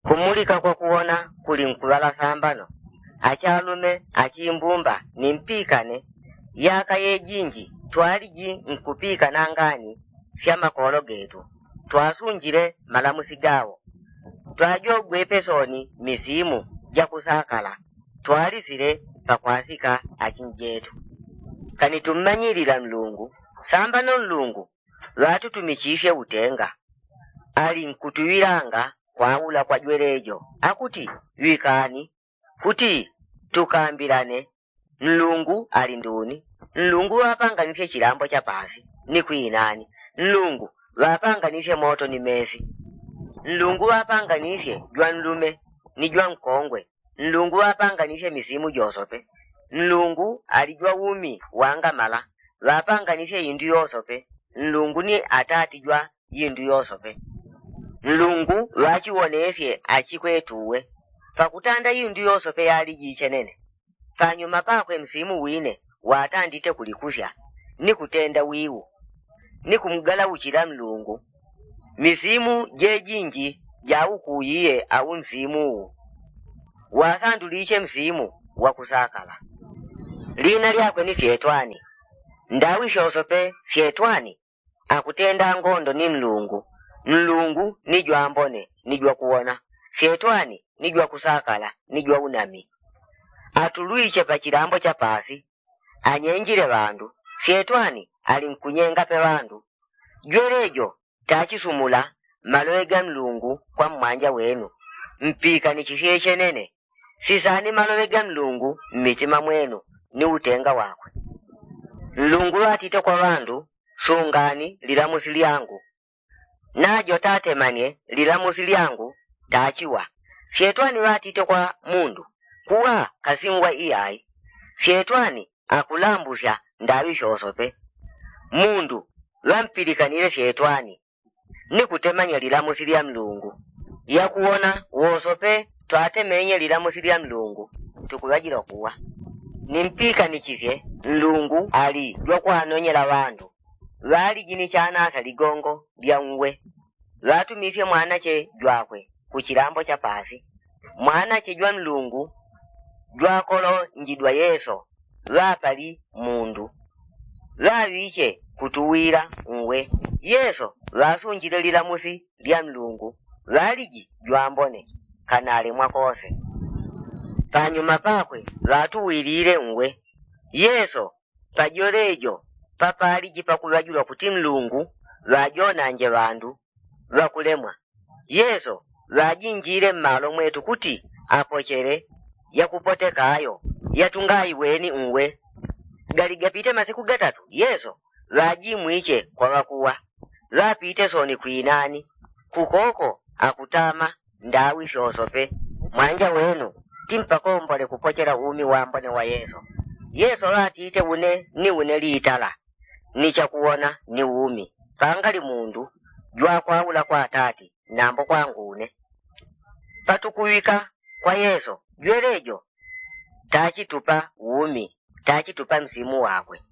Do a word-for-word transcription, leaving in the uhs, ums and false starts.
Kumulika kwa kuwona kuli nkuŵala sambano. Achalume achimbumba ni mpikane. Yaka yejinji twaliji nkupikana ngani fya makolo getu. Twasunjile malamusi gawo. Twajogwepe soni misimu jakusakala. Twalisile pakwasika achinjetu. Kani tummanyilila nlungu. Sambano nlungu ŵatutumichisye utenga. Ali nkutuŵilanga kwaula kwa jwelejo akuti ŵikani kuti tukambilane. Nlungu ali nduni? Nlungu ŵapanganisye chilambo cha pasi ni kwinani. Nlungu ŵapanganisye moto ni mesi. Nlungu ŵapanganisye jwanlume ni jwankongwe. Nlungu ŵapanganisye misimu josope. Nlungu ali jwa umi wangamala. Ŵapanganisye indu yosope. Nlungu ni atati jwa indu yosope. Nlungu ŵachiwonesye achikwetuwe. Pakutanda indu yosope yaliji ichenene. Panyuma pakwe msimu wine watandite kulikusya ni kutenda wiwu ni kumgalauchila nlungu. Misimu jejinji jaukuyiye au msimu uwu. Wasanduliche msimu wakusakala. Lina lyakwe ni fyetwani. Ndawi shosope fyetwani akutenda ngondo ni nlungu. Nlungu ni jwambone ni jwakuwona. Fyetwani ni jwakusakala ni jwaunami. Atulwiche pachilambo cha pasi. Anyenjile ŵandu. Fyetwani ali nkunyengape ŵandu. Jwelejo tachisumula maloŵe ga nlungu kwa mmwanja wenu. Mpikanichisye chenene. Sisani maloŵe ga nlungu mmitima mwenu ni utenga wakwe. Nlungu ŵatite kwa ŵandu, sungani lilamusi lyangu. Najo tatemanye lilamusi lyangu tachiwa. Fyetwani ŵatite kwa mundu, kuwa kasinwa iyai. Fyetwani akulambusya ndaŵi shosope. Mundu ŵampilikanile fyetwani ni kutemanya lilamusi lya nlungu. Yakuwona wosope twatemenye lilamusi lya nlungu tukuŵajila kuwa. Nimpiikanichisye nlungu ali jwakwanonyela ŵandu. Ŵaliji ni chanasa ligongo lya nwe. Ŵatumisye mwanache jwakwe kuchilambo cha pasi. Mwanache jwa nlungu jwakolonjidwa yeso ŵapali mundu. Ŵaŵiche kutuwila nwe. Yeso ŵasunjile lilamusi lya nlungu. Ŵaliji jwambone kanalemwa kose. Panyuma pakwe ŵatuwilile nwe. Yeso pajole jo papaliji pakuŵajulwa kuti nlungu ŵajonanje ŵandu ŵakulemwa. Yeso ŵajinjile mmalo mwetu kuti apochele yakupoteka ayo yatungaiweni nwe. Gali gapite masiku gatatu yeso ŵajimwiche kwa ŵakuwa. Ŵapite soni kwinani kukoko akutama ndawi shosope. Mwanja wenu timpakombole kupochela umi wambone wa yeso. Yeso ŵatite une ni une litala ni chakuwona ni umi. Pangali mundu jwakwaula kwa atati nambo kwangu une. Patukuŵika kwa yeso jwelejo tachitupa umi tachitupa msimu wakwe.